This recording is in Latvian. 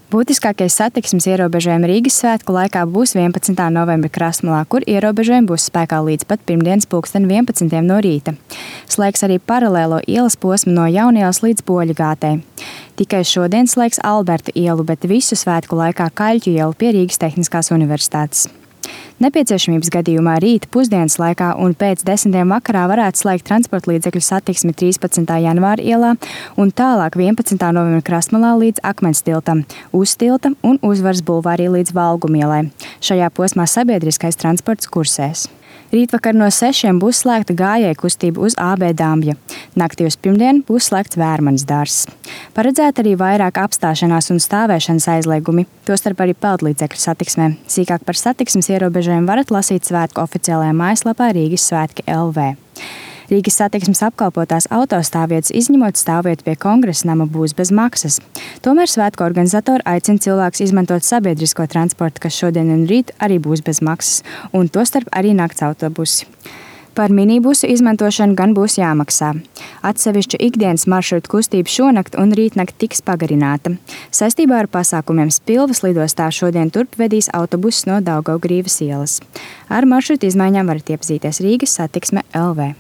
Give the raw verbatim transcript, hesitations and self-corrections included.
Būtiskākie satiksmes ierobežojumi Rīgas svētku laikā būs vienpadsmitā novembra Krastmalā, kur ierobežojumi būs spēkā līdz pat pirmdienas pulksten vienpadsmitiem no rīta. Slēgs arī paralēlo ielas posmu no Jaunielas līdz Boļagātei. Tikai šodien slēgs Alberta ielu, bet visu svētku laikā Kaļķu ielu pie Rīgas Tehniskās universitātes. Nepieciešamības gadījumā rīt pusdienas laikā un pēc desmitiem vakarā varētu slēgt transporta līdzekļu satiksmi trīspadsmitā janvāra ielā un tālāk vienpadsmitā novembra Krastmalā līdz Akmens tiltam, Uztilta un Uzvaras bulvārī līdz Valgumielai. Šajā posmā sabiedriskais transports kursēs. Rītvakar no sešiem būs slēgta gājēju kustība uz A B Dambja. Naktī uz pirmdienu būs slēgts Vērmanas dārzs. Paredzēta arī vairāk apstāšanās un stāvēšanas aizliegumi, tostarp arī peldlīdzekļu satiksmē. Sīkāk par satiksmes ierobežojumu varat lasīt svētku oficiālajā mājaslapā Rīgas svētki L V. Rīgas satiksmes apkalpotās autostāvvietas, izņemot stāvvietu pie Kongresa nama, būs bez maksas. Tomēr svētku organizatori aicina cilvēkus izmantot sabiedrisko transportu, kas šodien un rīt arī būs bez maksas, un tostarp arī nakts autobusi. Par minibusu izmantošanu gan būs jāmaksā. Atsevišķu ikdienas maršrutu kustība šonakt un rītnakt tiks pagarināta. Saistībā ar pasākumiem Spilvas lidostā šodien turp vedīs autobusus no Daugavgrīvas ielas. Ar maršrutu izmaiņām varat iepazīties Rīgas satiksme L V.